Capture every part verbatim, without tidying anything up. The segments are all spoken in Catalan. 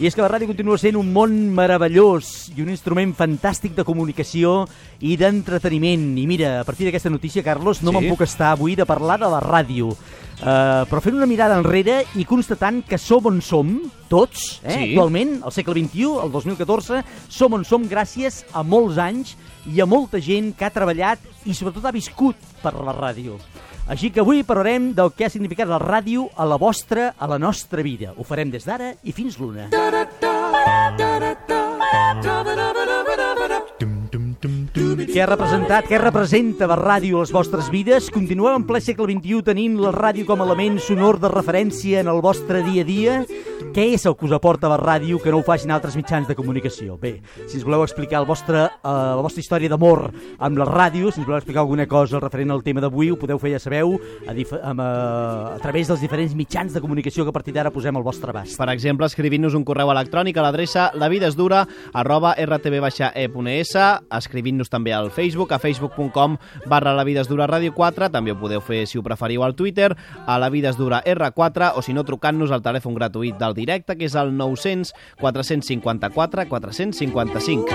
I és que la ràdio continua sent un món meravellós i un instrument fantàstic de comunicació i d'entreteniment. I mira, a partir d'aquesta notícia, Carlos, no sí? me'n puc estar avui de parlar de la ràdio. Uh, però fent una mirada enrere i constatant que som on som, tots, eh, sí. actualment, al segle vint-i-u, el dos mil catorze, som on som gràcies a molts anys i a molta gent que ha treballat i sobretot ha viscut per la ràdio. Així que avui parlarem del que ha significat la ràdio a la vostra, a la nostra vida. Ho farem des d'ara i fins l'una. Què ha representat, què representa la ràdio a les vostres vides? Continueu en ple segle vint-i-u tenint la ràdio com a element sonor de referència en el vostre dia a dia? Què és el que us aporta la ràdio que no ho facin altres mitjans de comunicació? Bé, si us voleu explicar el vostre, uh, la vostra història d'amor amb la ràdio, si us voleu explicar alguna cosa referent al tema d'avui, ho podeu fer, ja sabeu, a, dif- a, a, a través dels diferents mitjans de comunicació que a partir d'ara posem al vostre abast. Per exemple, escrivint-nos un correu electrònic a l'adreça lavidesdura arroba r t v e punt e s, escrivint-nos també al Facebook, a facebook punt com barra lavidesdura ràdio quatre, també ho podeu fer, si ho preferiu, al Twitter, a lavidesdura erra quatre, o si no, trucant-nos al telèfon gratuït del directe, que és el nou cents quatre cinquanta-quatre quatre cinquanta-cinc.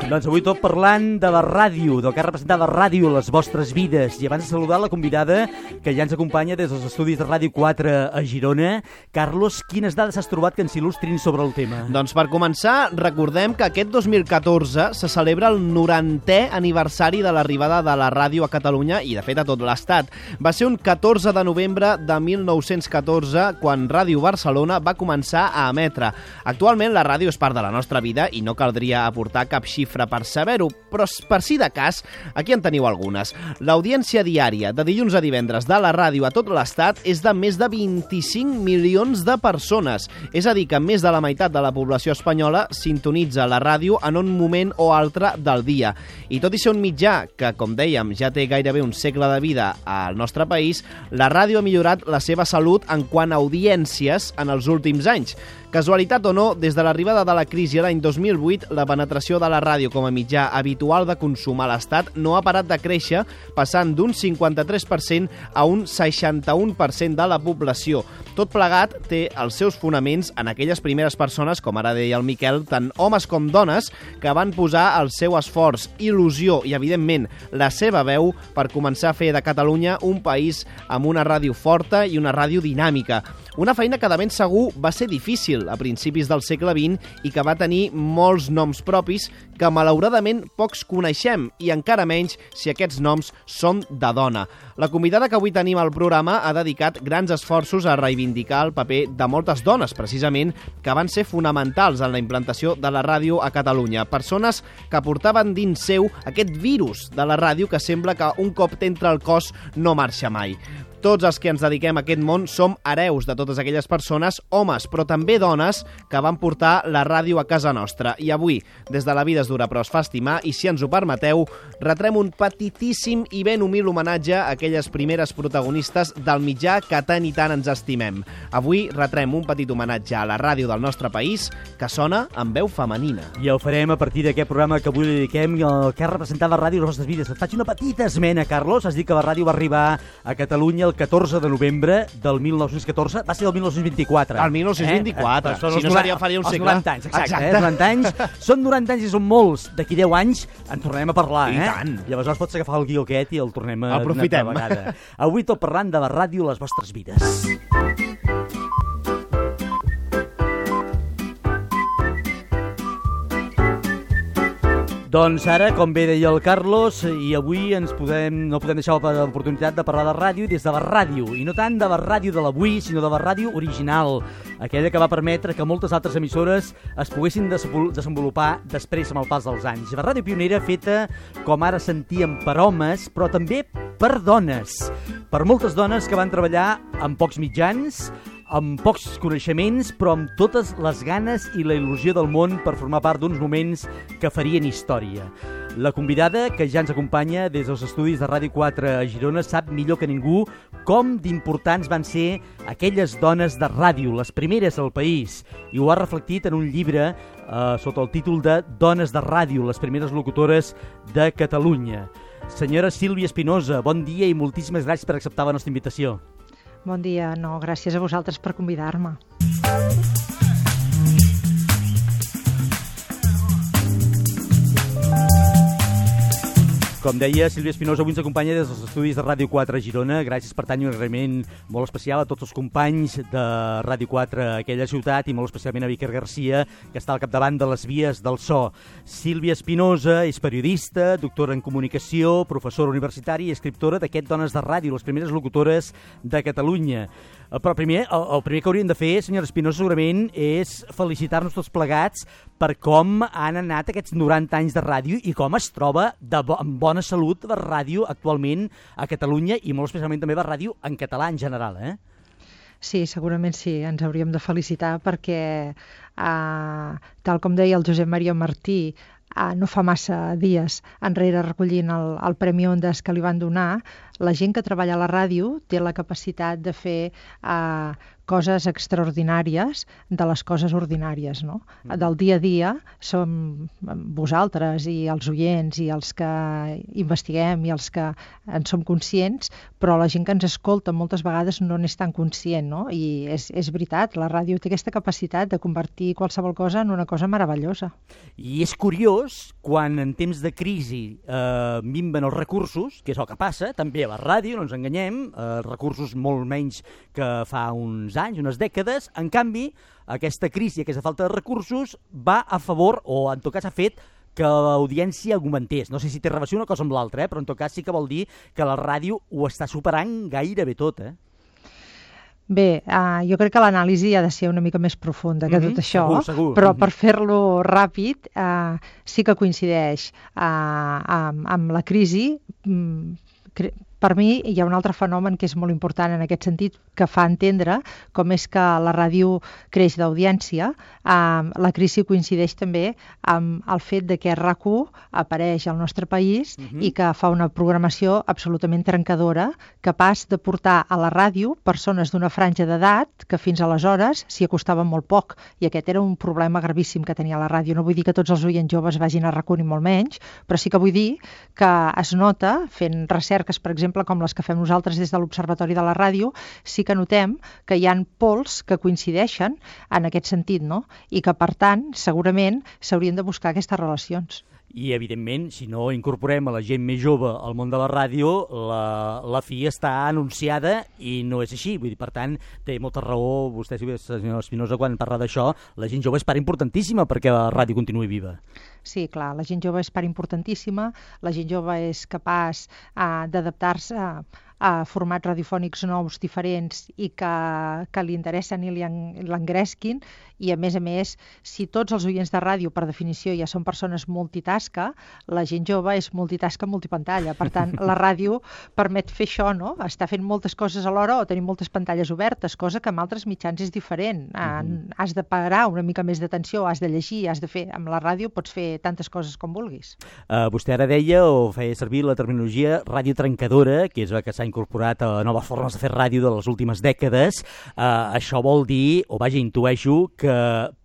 Doncs avui tot parlant de la ràdio, del que ha representat la ràdio a les vostres vides. I abans de saludar la convidada que ja ens acompanya des dels estudis de Ràdio quatre a Girona. Carlos, quines dades has trobat que ens il·lustrin sobre el tema? Doncs per començar, recordem que aquest dos mil catorze se celebra el norantè aniversari de l'arribada de la ràdio a Catalunya i, de fet, a tot l'Estat. Va ser un catorze de novembre de mil nou-cents catorze quan Ràdio Barcelona va començar a emetre. Actualment la ràdio és part de la nostra vida i no caldria aportar cap xifra per saber-ho, però per si de cas, aquí en teniu algunes. L'audiència diària de dilluns a divendres de la ràdio a tot l'Estat és de més de vint-i-cinc milions de persones. És a dir, que més de la meitat de la població espanyola sintonitza la ràdio en un moment o altre del dia. I tot i ser un mitjà que, com dèiem, ja té gairebé un segle de vida al nostre país, la ràdio ha millorat la seva salut en quant a audiències en els últims anys. Casualitat o no, des de l'arribada de la crisi l'any dos mil vuit, la penetració de la ràdio com a mitjà habitual de consum a l'Estat no ha parat de créixer, passant d'un cinquanta-tres per cent a un seixanta-un per cent de la població. Tot plegat té els seus fonaments en aquelles primeres persones, com ara deia el Miquel, tant homes com dones, que van posar el seu esforç, il·lusió i, evidentment, la seva veu per començar a fer de Catalunya un país amb una ràdio forta i una ràdio dinàmica. Una feina que de ben segur va ser difícil a principis del segle vint i que va tenir molts noms propis que malauradament pocs coneixem i encara menys si aquests noms són de dona. La convidada que avui tenim al programa ha dedicat grans esforços a reivindicar el paper de moltes dones, precisament, que van ser fonamentals en la implantació de la ràdio a Catalunya. Persones que portaven dins seu aquest virus de la ràdio que sembla que un cop t'entra al cos no marxa mai. Tots els que ens dediquem a aquest món som hereus de totes aquelles persones, homes, però també dones, que van portar la ràdio a casa nostra. I avui, des de La vida és dura però es fa estimar, i si ens ho permeteu, retrem un petitíssim i ben humil homenatge a aquelles primeres protagonistes del mitjà que tant i tant ens estimem. Avui retrem un petit homenatge a la ràdio del nostre país, que sona amb veu femenina. I ho farem a partir d'aquest programa que avui li dediquem al que ha representat la ràdio a les vostres vides. Et faig una petita esmena, Carlos. Has dit que la ràdio va arribar a Catalunya el catorze de novembre del mil nou-cents catorze, va ser el mil nou-cents vint-i-quatre. El mil nou-cents vint-i-quatre, eh? Si no seria faria un segle. Els noranta anys, exacte, exacte. Eh? noranta anys. Són noranta anys i són molts. D'aquí deu anys en tornarem a parlar, I eh? I tant. I aleshores pots agafar el guió aquest i el tornem a... Aprofitem. Una altra vegada. Avui tot parlant de la ràdio a les vostres vides. Doncs ara, com bé deia el Carlos, i avui ens podem, no podem deixar l'oportunitat de parlar de ràdio i des de la ràdio, i no tant de la ràdio de l'avui, sinó de la ràdio original, aquella que va permetre que moltes altres emissores es poguessin desenvolupar després amb el pas dels anys. La ràdio pionera feta, com ara sentíem, per homes, però també per dones, per moltes dones que van treballar amb pocs mitjans, amb pocs coneixements, però amb totes les ganes i la il·lusió del món per formar part d'uns moments que farien història. La convidada, que ja ens acompanya des dels estudis de Ràdio quatre a Girona, sap millor que ningú com d'importants van ser aquelles dones de ràdio, les primeres al país, i ho ha reflectit en un llibre eh, sota el títol de Dones de ràdio, les primeres locutores de Catalunya. Senyora Sílvia Espinosa, bon dia i moltíssimes gràcies per acceptar la nostra invitació. Bon dia, no, gràcies a vosaltres per convidar-me. Com deia, Sílvia Espinosa avui ens acompanya des dels estudis de Ràdio quatre a Girona. Gràcies per tant i un agraïment molt especial a tots els companys de Ràdio quatre a aquella ciutat i molt especialment a Víctor Garcia, que està al capdavant de les vies del so. Sílvia Espinosa és periodista, doctora en comunicació, professora universitària i escriptora d'aquest Dones de Ràdio, les primeres locutores de Catalunya. Però primer, el, el primer que hauríem de fer, senyora Espinosa, segurament és felicitar-nos tots plegats per com han anat aquests noranta anys de ràdio i com es troba de bo, en bona salut la ràdio actualment a Catalunya i molt especialment també la ràdio en català en general, eh? Sí, segurament sí, ens hauríem de felicitar perquè, eh, tal com deia el Josep Maria Martí, eh, no fa massa dies enrere recollint el, el Premi Ondas que li van donar, la gent que treballa a la ràdio té la capacitat de fer eh, coses extraordinàries de les coses ordinàries, no? Del dia a dia som vosaltres i els oients i els que investiguem i els que en som conscients, però la gent que ens escolta moltes vegades no n'és tan conscient, no? I és, és veritat, la ràdio té aquesta capacitat de convertir qualsevol cosa en una cosa meravellosa. I és curiós, quan en temps de crisi eh, minven els recursos, que és el que passa, també a la ràdio, no ens enganyem, eh, recursos molt menys que fa uns anys, unes dècades, en canvi, aquesta crisi, aquesta falta de recursos, va a favor, o en tot cas ha fet que l'audiència augmentés. No sé si té relació una cosa amb l'altra, eh? Però en tot cas sí que vol dir que la ràdio ho està superant gairebé tot, eh? Bé, uh, jo crec que l'anàlisi ha de ser una mica més profunda que mm-hmm, tot això, segur, segur. Però mm-hmm. per fer-lo ràpid uh, sí que coincideix uh, amb, amb la crisi. Mm, cre- Per mi hi ha un altre fenomen que és molt important en aquest sentit, que fa entendre com és que la ràdio creix d'audiència. Um, la crisi coincideix també amb el fet de que RAC u apareix al nostre país uh-huh. i que fa una programació absolutament trencadora, capaç de portar a la ràdio persones d'una franja d'edat que fins aleshores s'hi acostaven molt poc. I aquest era un problema gravíssim que tenia la ràdio. No vull dir que tots els oients joves vagin a RAC u ni molt menys, però sí que vull dir que es nota, fent recerques, per exemple, com les que fem nosaltres des de l'Observatori de la Ràdio, sí que notem que hi ha pols que coincideixen en aquest sentit, no? I que, per tant, segurament s'haurien de buscar aquestes relacions. I, evidentment, si no incorporem a la gent més jove al món de la ràdio, la, la fi està anunciada i no és així. Vull dir, per tant, té molta raó vostè, senyor Espinosa, quan parla d'això. La gent jove és part importantíssima perquè la ràdio continuï viva. Sí, clar, la gent jove és part importantíssima, la gent jove és capaç uh, d'adaptar-se a, a formats radiofònics nous, diferents i que, que li interessen i li en, l'engresquin, i a més a més, si tots els oients de ràdio per definició ja són persones multitasca, la gent jove és multitasca multipantalla. Per tant, la ràdio permet fer això, no? Estar fent moltes coses alhora o tenir moltes pantalles obertes, cosa que amb altres mitjans és diferent. Mm-hmm. Has de parar una mica més d'atenció, has de llegir, has de fer... Amb la ràdio pots fer tantes coses com vulguis. Uh, vostè ara deia o feia servir la terminologia ràdio trencadora, que és la que s'ha incorporat a noves formes de fer ràdio de les últimes dècades. Uh, això vol dir, o vaja, intueixo, que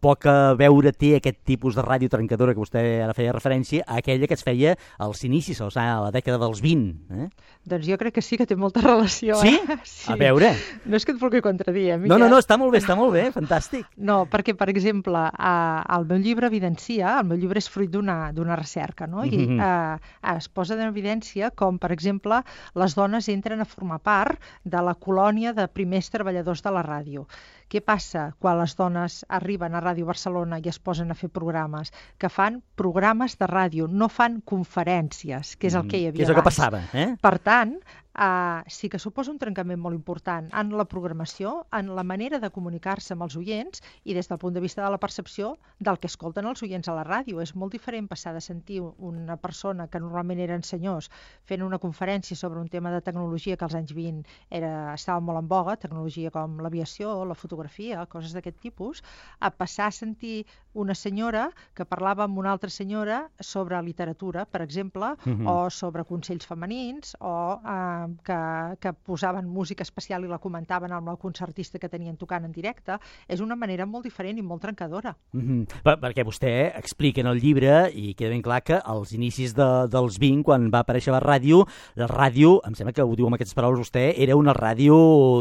poc a veure té aquest tipus de ràdio trencadora que vostè ara feia referència a aquella que es feia als inicis, a la dècada dels vint. Eh? Doncs jo crec que sí que té molta relació. Sí? Eh? Sí. A veure. No és que et vulgui contradir, eh, Miquel? No, no, no, està molt bé, està molt bé, fantàstic. No, perquè, per exemple, eh, el meu llibre evidencia, el meu llibre és fruit d'una, d'una recerca, no? I Mm-hmm. eh, es posa en evidència com, per exemple, les dones entren a formar part de la colònia de primers treballadors de la ràdio. Què passa quan les dones arriben a Ràdio Barcelona i es posen a fer programes? Que fan programes de ràdio, no fan conferències, que és el que hi havia abans. Que és el que passava, eh? Per tant, Uh, sí que suposa un trencament molt important en la programació, en la manera de comunicar-se amb els oients i des del punt de vista de la percepció del que escolten els oients a la ràdio. És molt diferent passar de sentir una persona que normalment eren senyors fent una conferència sobre un tema de tecnologia que als anys vint era, estava molt en boga, tecnologia com l'aviació, la fotografia, coses d'aquest tipus, a passar a sentir una senyora que parlava amb una altra senyora sobre literatura, per exemple, uh-huh. o sobre consells femenins o uh, que, que posaven música especial i la comentaven amb el concertista que tenien tocant en directe. És una manera molt diferent i molt trencadora. Mm-hmm. Per, perquè vostè explica en el llibre, i queda ben clar que als inicis de, dels vint, quan va aparèixer la ràdio, la ràdio, em sembla que ho diu amb aquestes paraules vostè, era una ràdio,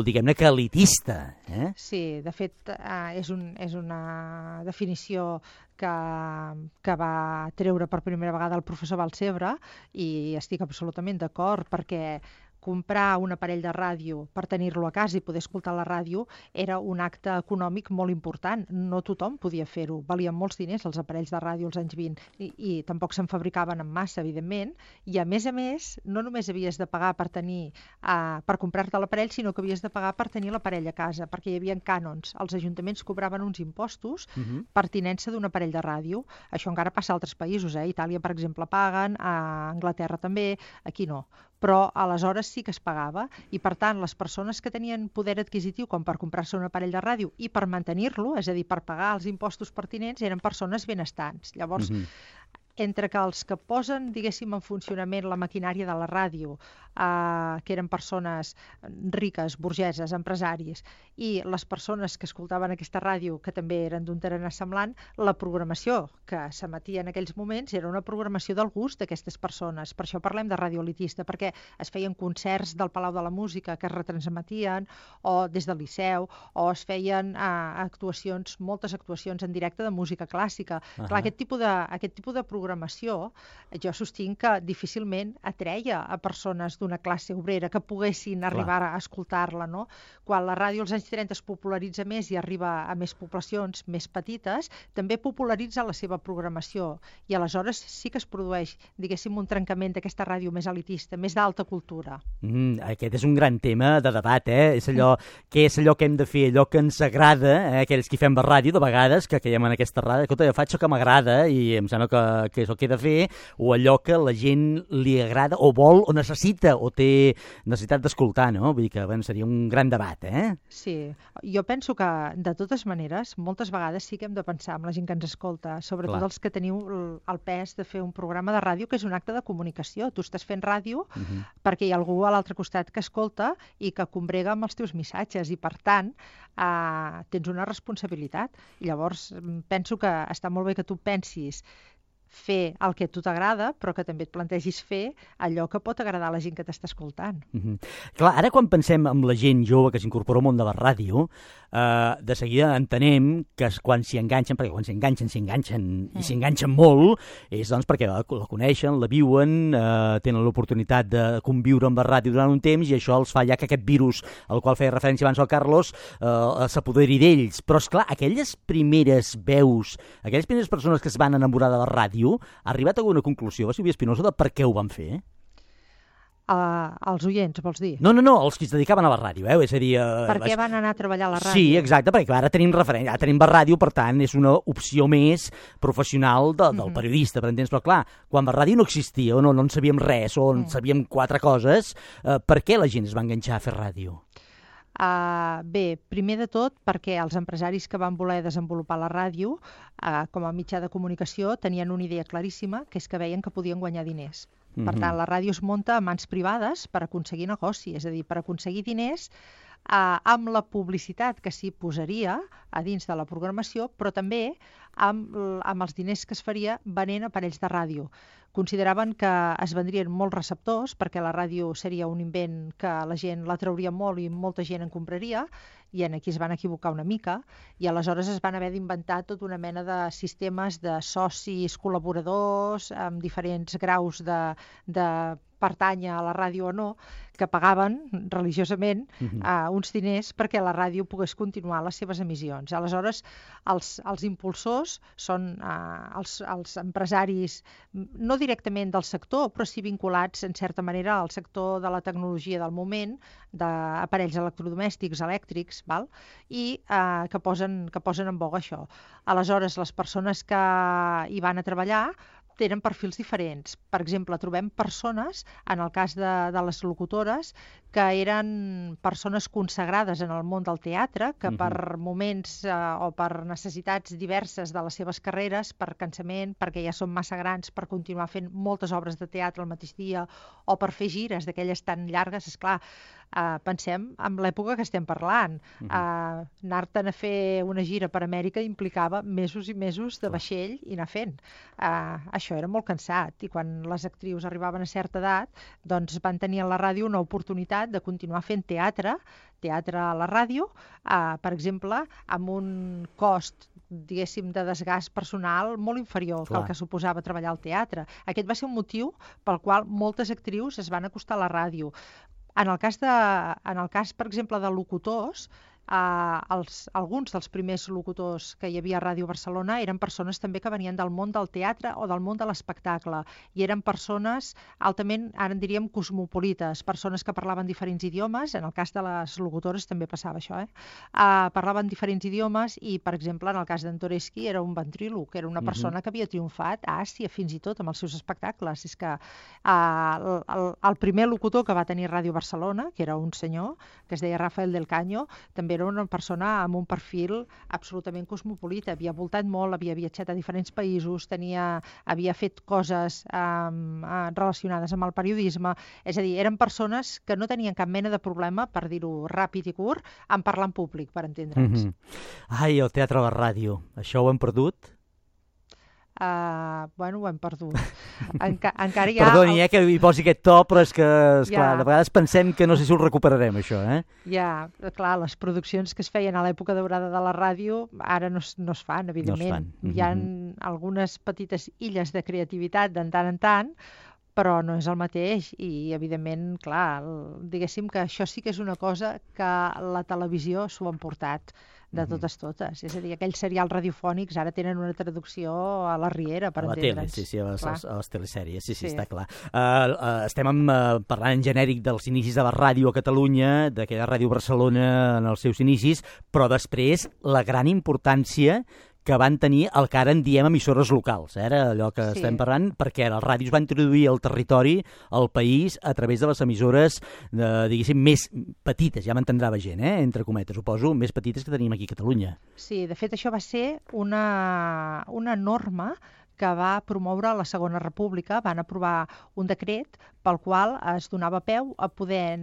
diguem-ne, que elitista. Eh? Sí, de fet, eh, és, un, és una definició que, que va treure per primera vegada el professor Balcebre, i estic absolutament d'acord, perquè comprar un aparell de ràdio per tenir-lo a casa i poder escoltar la ràdio era un acte econòmic molt important. No tothom podia fer-ho. Valien molts diners els aparells de ràdio als anys vint i, i tampoc se'n fabricaven en massa, evidentment. I a més a més, no només havies de pagar per tenir uh, per comprar-te l'aparell, sinó que havies de pagar per tenir l'aparell a casa, perquè hi havia cànons. Els ajuntaments cobraven uns impostos uh-huh. per tinença d'un aparell de ràdio. Això encara passa a altres països. Eh? A Itàlia, per exemple, paguen, a Anglaterra també, aquí no. Però aleshores sí que es pagava i, per tant, les persones que tenien poder adquisitiu com per comprar-se un aparell de ràdio i per mantenir-lo, és a dir, per pagar els impostos pertinents, eren persones benestants. Llavors, mm-hmm. entre que els que posen, diguéssim, en funcionament la maquinària de la ràdio, eh, que eren persones riques, burgeses, empresaris, i les persones que escoltaven aquesta ràdio, que també eren d'un tarannà semblant, la programació que s'emetia en aquells moments era una programació del gust d'aquestes persones. Per això parlem de ràdio elitista, perquè es feien concerts del Palau de la Música que es retransmetien, o des del Liceu, o es feien eh, actuacions, moltes actuacions en directe de música clàssica. Uh-huh. Clar, aquest tipus de, aquest tipus de programació, jo sostinc que difícilment atreia a persones d'una classe obrera que poguessin arribar Clar. a escoltar-la, no? Quan la ràdio als anys trenta es popularitza més i arriba a més poblacions més petites, també popularitza la seva programació, i aleshores sí que es produeix, diguéssim, un trencament d'aquesta ràdio més elitista, més d'alta cultura. Mm, aquest és un gran tema de debat, eh? És allò, mm. què és allò que hem de fer, allò que ens agrada, eh? Aquells que fem la ràdio, de vegades, que caiem en aquesta ràdio, escolta, jo faig això que m'agrada i em sembla que, que és el que he de fer, o allò que la gent li agrada, o vol, o necessita, o té necessitat d'escoltar, no? Vull dir que, bueno, seria un gran debat, eh? Sí, jo penso que, de totes maneres, moltes vegades sí que hem de pensar en la gent que ens escolta, sobretot Clar. els que teniu el, el pes de fer un programa de ràdio, que és un acte de comunicació. Tu estàs fent ràdio uh-huh. perquè hi ha algú a l'altre costat que escolta i que combrega amb els teus missatges, i per tant eh, tens una responsabilitat. I llavors penso que està molt bé que tu pensis fer el que a tu t'agrada, però que també et plantegis fer allò que pot agradar a la gent que t'està escoltant. Mm-hmm. Clar, ara quan pensem en la gent jove que s'incorpora al món de la ràdio, eh, de seguida entenem que quan s'hi enganxen, perquè quan s'hi enganxen, s'hi enganxen mm. i s'hi enganxen molt, és doncs perquè la, la coneixen, la viuen, eh, tenen l'oportunitat de conviure amb la ràdio durant un temps, i això els fa ja que aquest virus al qual feia referència abans el Carlos eh, s'apoderi d'ells. Però, esclar, aquelles primeres veus, aquelles primeres persones que es van enamorar de la ràdio, ha arribat a alguna conclusió, va Sílvia Espinosa, de per què ho van fer? Uh, els oients, vols dir? No, no, no, els que es dedicaven a la ràdio, eh? És a dir... Uh, per què van anar a treballar a la ràdio? Sí, exacte, perquè ara tenim referència, ara tenim la ràdio, per tant, és una opció més professional de, del mm-hmm. periodista, per entens? Però clar, quan la ràdio no existia, o no, no en sabíem res, o en mm. sabíem quatre coses, uh, per què la gent es va enganxar a fer ràdio? Uh, bé, primer de tot perquè els empresaris que van voler desenvolupar la ràdio uh, com a mitjà de comunicació tenien una idea claríssima, que és que veien que podien guanyar diners. Mm-hmm. Per tant, la ràdio es munta a mans privades per aconseguir negoci, és a dir, per aconseguir diners uh, amb la publicitat que s'hi posaria a dins de la programació, però també amb, amb els diners que es faria venent aparells de ràdio. Consideraven que es vendrien molts receptors perquè la ràdio seria un invent que la gent l'atrauria molt i molta gent en compraria, i en aquí es van equivocar una mica, i aleshores es van haver d'inventar tota una mena de sistemes de socis col·laboradors amb diferents graus de, de pertànyer a la ràdio o no, que pagaven religiosament uh-huh. uh, uns diners perquè la ràdio pogués continuar les seves emissions. Aleshores, els, els impulsors són uh, els, els empresaris, no directament del sector, però sí vinculats, en certa manera, al sector de la tecnologia del moment, d'aparells electrodomèstics, elèctrics, val? I uh, que, posen, que posen en boga això. Aleshores, les persones que hi van a treballar tenen perfils diferents. Per exemple, trobem persones, en el cas de, de les locutores, que eren persones consagrades en el món del teatre, que per uh-huh. moments eh, o per necessitats diverses de les seves carreres, per cansament, perquè ja són massa grans per continuar fent moltes obres de teatre al mateix dia, o per fer gires d'aquelles tan llargues, esclar, eh, pensem en l'època que estem parlant. Uh-huh. Eh, anar-te'n a fer una gira per Amèrica implicava mesos i mesos de vaixell i anar fent. Eh, això era molt cansat, i quan les actrius arribaven a certa edat, doncs van tenir a la ràdio una oportunitat de continuar fent teatre, teatre a la ràdio, eh, per exemple, amb un cost, diguéssim, de desgast personal molt inferior Clar. que el que suposava treballar al teatre. Aquest va ser un motiu pel qual moltes actrius es van acostar a la ràdio. En el cas, de, en el cas per exemple, de locutors, Uh, els, alguns dels primers locutors que hi havia a Ràdio Barcelona eren persones també que venien del món del teatre o del món de l'espectacle, i eren persones altament, ara en diríem, cosmopolites, persones que parlaven diferents idiomes. En el cas de les locutores també passava això, eh? Uh, parlaven diferents idiomes, i per exemple en el cas d'en Toreschi era un ventríloc, era una persona uh-huh. que havia triomfat a Àsia fins i tot amb els seus espectacles. És que uh, el, el primer locutor que va tenir Ràdio Barcelona, que era un senyor que es deia Rafael del Caño, també era una persona amb un perfil absolutament cosmopolita, havia voltat molt, havia viatjat a diferents països, tenia, havia fet coses um, relacionades amb el periodisme, és a dir, eren persones que no tenien cap mena de problema, per dir-ho ràpid i curt, en parlar en públic, per entendre'ns. Mm-hmm. Ai, el teatre a la ràdio, això ho hem perdut? Uh, bueno, ho hem perdut. Enca encara hi ha... Perdoni, eh, que hi posi aquest to, però és que, esclar, ja. de vegades pensem que no sé si ho recuperarem, això, eh? Ja, clar, les produccions que es feien a l'època daurada de la ràdio ara no es, no es fan, evidentment. No es fan. Mm-hmm. Hi ha algunes petites illes de creativitat de tant en tant, però no és el mateix, i evidentment, clar, el, diguéssim que això sí que és una cosa que la televisió s'ho ha emportat de totes totes. És a dir, aquells serials radiofònics ara tenen una traducció a la Riera, per entendre'ns. A la tele, sí, sí, a les, a les telesèries, sí, sí, sí, està clar. Uh, uh, estem amb, uh, parlant en genèric dels inicis de la ràdio a Catalunya, d'aquella Ràdio Barcelona en els seus inicis, però després la gran importància que van tenir el que ara en diem emissores locals, eh? Era allò que sí. estem parlant, perquè les ràdios van introduir al territori, al país, a través de les emissores, de, diguéssim, més petites, ja m'entendrà la gent, eh? Entre cometes, suposo, més petites que tenim aquí a Catalunya. Sí, de fet això va ser una, una norma que va promoure la Segona República. Van aprovar un decret pel qual es donava peu a poder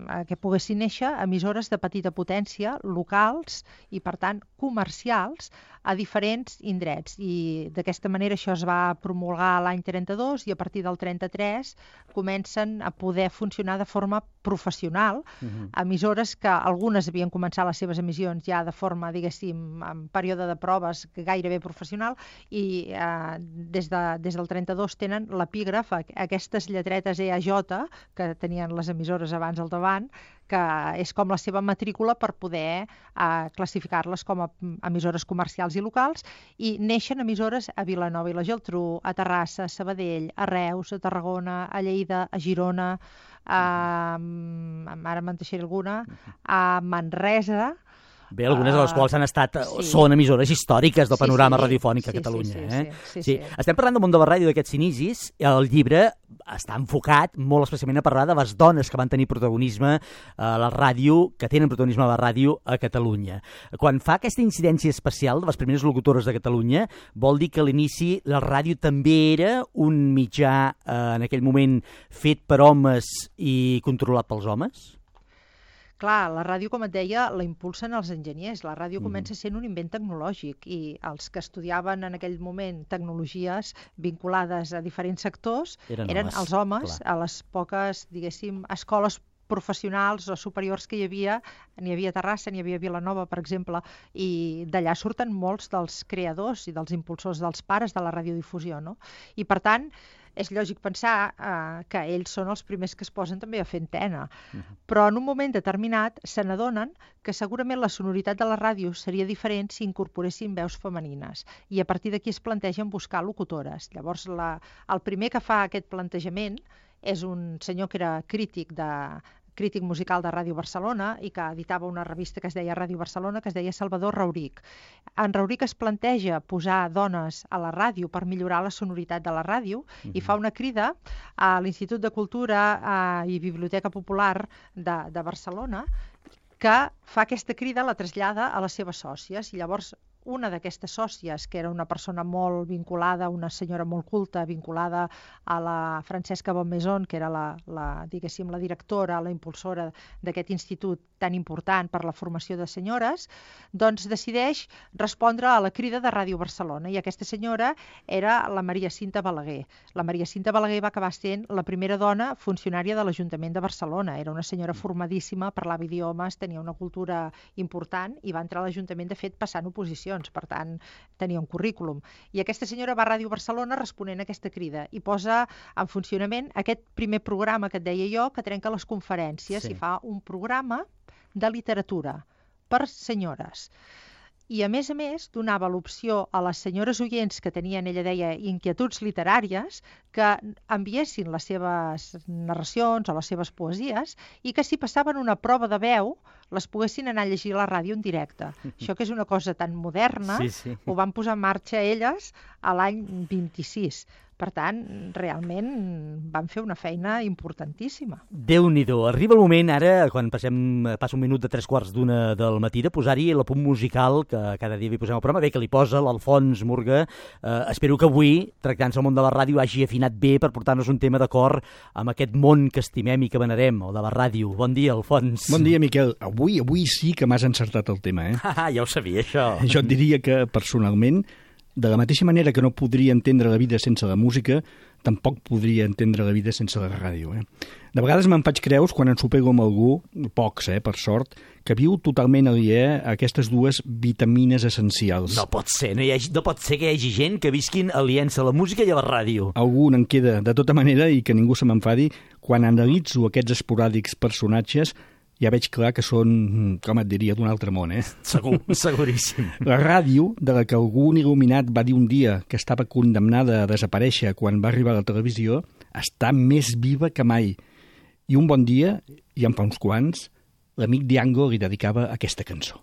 a que poguessin néixer emissores de petita potència, locals i, per tant, comercials a diferents indrets. I d'aquesta manera això es va promulgar l'any trenta-dos, i a partir del trenta-tres comencen a poder funcionar de forma professional, uh-huh. emissores que algunes havien començat les seves emissions ja de forma, diguéssim, en període de proves gairebé professional, i eh, des, de, des del trenta-dos tenen l'epígraf, aquestes lletretes E A J que tenien les emissores abans al davant, que és com la seva matrícula per poder eh, classificar-les com a emissores comercials i locals, i neixen emissores a Vilanova i la Geltrú, a Terrassa, a Sabadell, a Reus, a Tarragona, a Lleida, a Girona, a, ara me'n deixaré alguna, a Manresa. Bé, algunes de les quals han estat, sí. són emissores històriques del panorama sí, sí. radiofònic sí, a Catalunya. Sí, sí, eh? sí, sí, sí. sí. Estem parlant del món de la ràdio d'aquests inicis. El llibre està enfocat molt especialment a parlar de les dones que van tenir protagonisme a la ràdio, que tenen protagonisme a la ràdio a Catalunya. Quan fa aquesta incidència especial de les primeres locutores de Catalunya, vol dir que a l'inici la ràdio també era un mitjà, eh, en aquell moment, fet per homes i controlat pels homes? Clar, la ràdio, com et deia, la impulsen els enginyers. La ràdio mm. comença sent un invent tecnològic, i els que estudiaven en aquell moment tecnologies vinculades a diferents sectors eren, eren homes, els homes, clar. A les poques, diguéssim, escoles professionals o superiors que hi havia. N'hi havia a Terrassa, n'hi havia a Vilanova, per exemple, i d'allà surten molts dels creadors i dels impulsors, dels pares de la radiodifusió, no? I, per tant, és lògic pensar eh, que ells són els primers que es posen també a fer antena. Uh-huh. Però en un moment determinat se n'adonen que segurament la sonoritat de la ràdio seria diferent si incorporessin veus femenines, i a partir d'aquí es plantegen buscar locutores. Llavors, la, el primer que fa aquest plantejament és un senyor que era crític de crític musical de Ràdio Barcelona i que editava una revista que es deia Ràdio Barcelona, que es deia Salvador Rauric. En Rauric es planteja posar dones a la ràdio per millorar la sonoritat de la ràdio mm-hmm. i fa una crida a l'Institut de Cultura eh, i Biblioteca Popular de, de Barcelona, que fa aquesta crida, la trasllada a les seves sòcies, i llavors una d'aquestes sòcies, que era una persona molt vinculada, una senyora molt culta, vinculada a la Francesca Bonmaison, que era la, la, diguéssim, la directora, la impulsora d'aquest institut tan important per la formació de senyores, doncs decideix respondre a la crida de Ràdio Barcelona, i aquesta senyora era la Maria Cinta Balaguer. La Maria Cinta Balaguer va acabar sent la primera dona funcionària de l'Ajuntament de Barcelona. Era una senyora formadíssima, parlava idiomes, tenia una cultura important i va entrar a l'Ajuntament, de fet, passant oposicions. Per tant, tenia un currículum. I aquesta senyora va a Ràdio Barcelona responent a aquesta crida i posa en funcionament aquest primer programa que et deia jo, que trenca les conferències sí. i fa un programa de literatura per senyores. I, a més a més, donava l'opció a les senyores oients que tenien, ella deia, inquietuds literàries, que enviessin les seves narracions o les seves poesies i que si passaven una prova de veu les poguessin anar a llegir a la ràdio en directe. Això que és una cosa tan moderna, sí, sí. ho van posar en marxa elles a l'any vint-i-sis. Per tant, realment van fer una feina importantíssima. Déu-n'hi-do. Arriba el moment ara, quan passem, passa un minut de tres quarts d'una del matí, de posar-hi l'apunt musical, que cada dia hi posem al programa, bé que li posa l'Alfons Murga. Eh, espero que avui, tractant-se el món de la ràdio, hagi afinat bé per portar-nos un tema d'acord amb aquest món que estimem i que venerem, el de la ràdio. Bon dia, Alfons. Bon dia, Miquel. Avui, avui sí que m'has encertat el tema, eh? Ah, ja ho sabia, això. Jo et diria que, personalment, de la mateixa manera que no podria entendre la vida sense la música, tampoc podria entendre la vida sense la ràdio. Eh? De vegades me'n faig creus quan ensopego amb algú, pocs, eh, per sort, que viu totalment aliè a aquestes dues vitamines essencials. No pot ser, no, hi ha, no pot ser que hi hagi gent que visquin aliens a la música i a la ràdio. Algú en queda, de tota manera, i que ningú se m'enfadi, quan analitzo aquests esporàdics personatges, ja veig clar que són, com et diria, d'un altre món, eh? Segur, seguríssim. La ràdio, de la que algun il·luminat va dir un dia que estava condemnada a desaparèixer quan va arribar a la televisió, està més viva que mai. I un bon dia, i en fa uns quants, l'amic Diango li dedicava aquesta cançó.